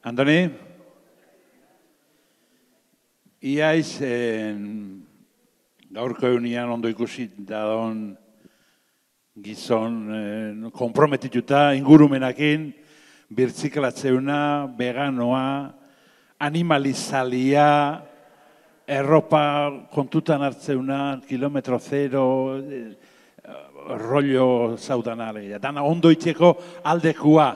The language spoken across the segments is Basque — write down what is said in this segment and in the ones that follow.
Andoni, iaiz gaurko egunean ondo ikusi dadon gizon komprometituta ingurumenakin, birtziklatzeuna, veganoa, animalizalia, erropa kontutan hartzeuna, kilometro zero, rollo zaudanale. Dana ondo itxeko aldekua,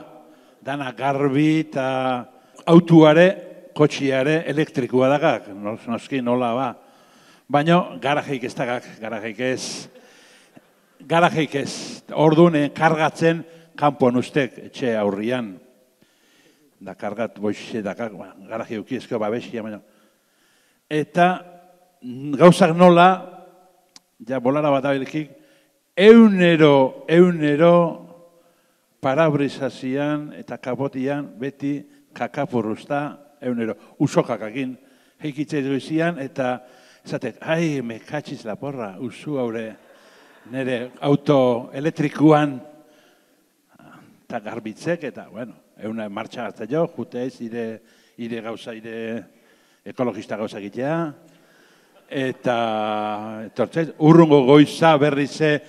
dana garbi eta autuare, kotxiare elektrikua dagak, noski nola ba. Baina garajeik ez dagak, garajeik ez. Orduan kargatzen kanpoan ustek etxe aurrian. Da kargat boixe dagak, garaje ukiezko babesia, baina. Eta gauzak nola, ja bolara bat abilkik, eunero parabrisazioan eta kapotian beti kakapurruzta eunero. Usokakakin heikitzei duizian eta esatek, ai, me katxiz la porra, usu haure nire auto elektrikuan eta garbitzek eta, bueno, euna martxa hartza jo, jutez, ire gauza, ire ekologista gauza egitea, eta etortzez, urrungo goiza berrize,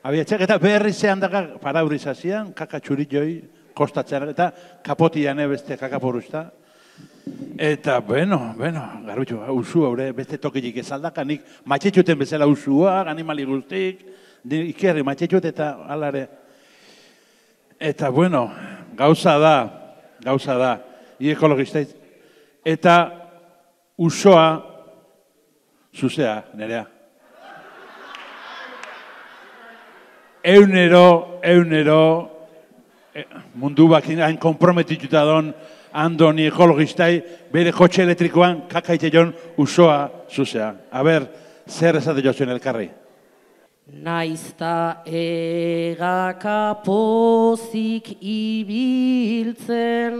abiatzek eta berrize handaka parabrizazioan, kakatxurit joi, kostatzen, eta kapotian beste kakapuruzta. Eta, bueno, garbitu, usu haure, beste tokilik ez aldakanik, matxetxuten bezala usua, animali guztik, ikerri matxetxut eta alare. Eta, bueno, gauza da, ekologista, eta usoa, zuzea, nerea. Eunero, mundu bakin hain komprometituta don, Andoni ekologistai, bere kotxe elektrikoan kakaite jon usoa zuzea. A ber, zer esate jozuen elkarri? Naizta egaka pozik ibiltzen,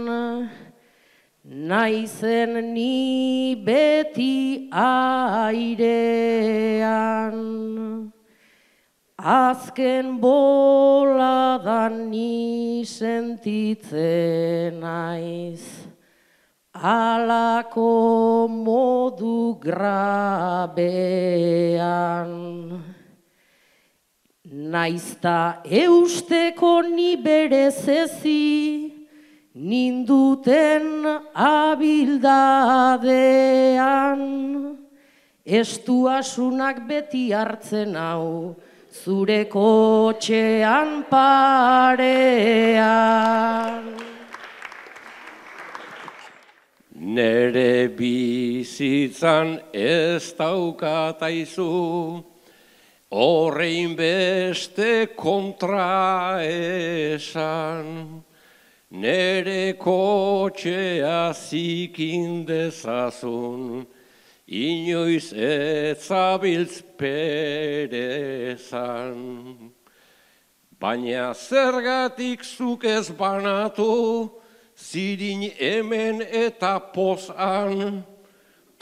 naizen ni beti airean. Azken boladan ni sentitzen naiz, alako modu grabean. Naizta eusteko ni berezezi, ninduten abildadean, estuasunak beti hartzen hau, zure kotxean parean. Nere bizitzan ez daukataizu, horrein beste kontra esan. Nere kotxea zikin dezazun, inoiz etzabiltz perezan. Baina zergatik zuk ez banatu, zirin hemen eta pozan,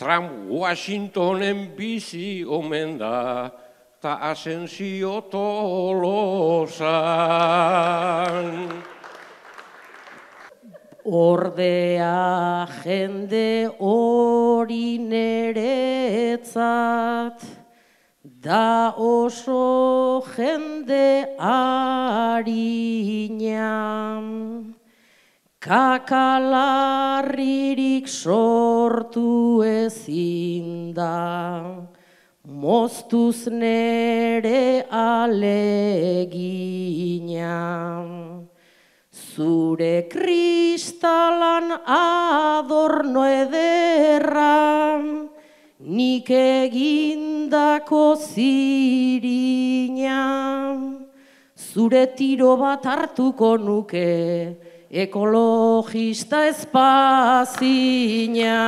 Trump Washingtonen bizi omen da, ta Asensio Tolosan. Ordea jende hori neretzat, da oso jende harina. Kakalarririk sortu ezin da, moztuz nere alegina. Zure kristalan adorno ederra, nik egindako zirina. Zure tiro bat hartuko nuke, ekologista espazina.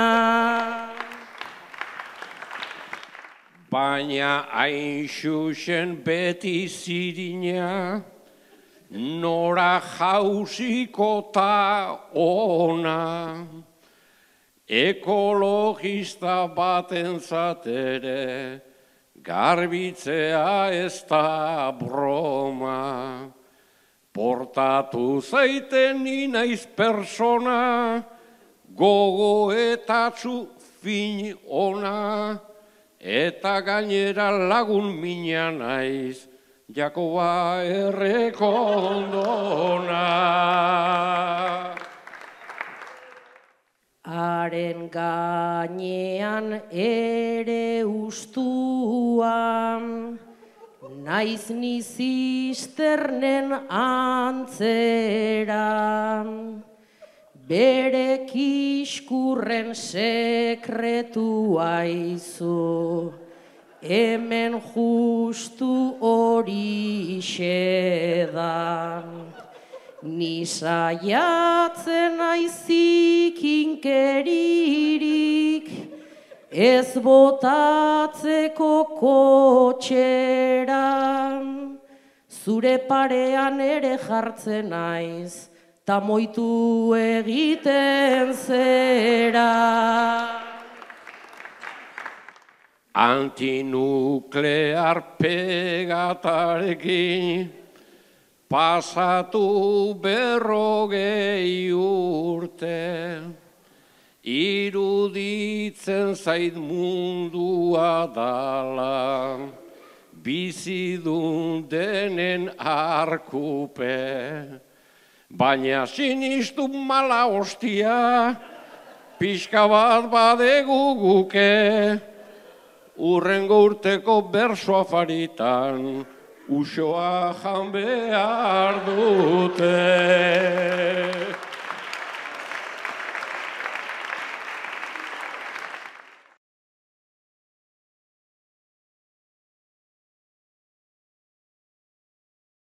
Baina hain xuxen beti zirina, nora jauziko ta ona, ekologista batentzat ere, garbitzea ez da broma. Portatu zaiten ni naiz persona, gogo eta fin ona, eta gainera lagun mina naiz, Jakoba errekondona. Haren gainean ere ustuan, naiz ni zisternen antzeran, bere kiskurren sekretua izu, hemen justu horixe da. Ni saiatzen naizik inkeririk, ez botatzeko kotxeran, zure parean ere jartzen naiz, ta moitu egiten zera. Antinuklear pegatarekin pasatu 40 urte, iruditzen zait mundua dala, bizidun denen arkupe, baina sinistu mala hostia, pixka bat badegu guke, urrengo urteko berso afaritan, usoa jan behar dute.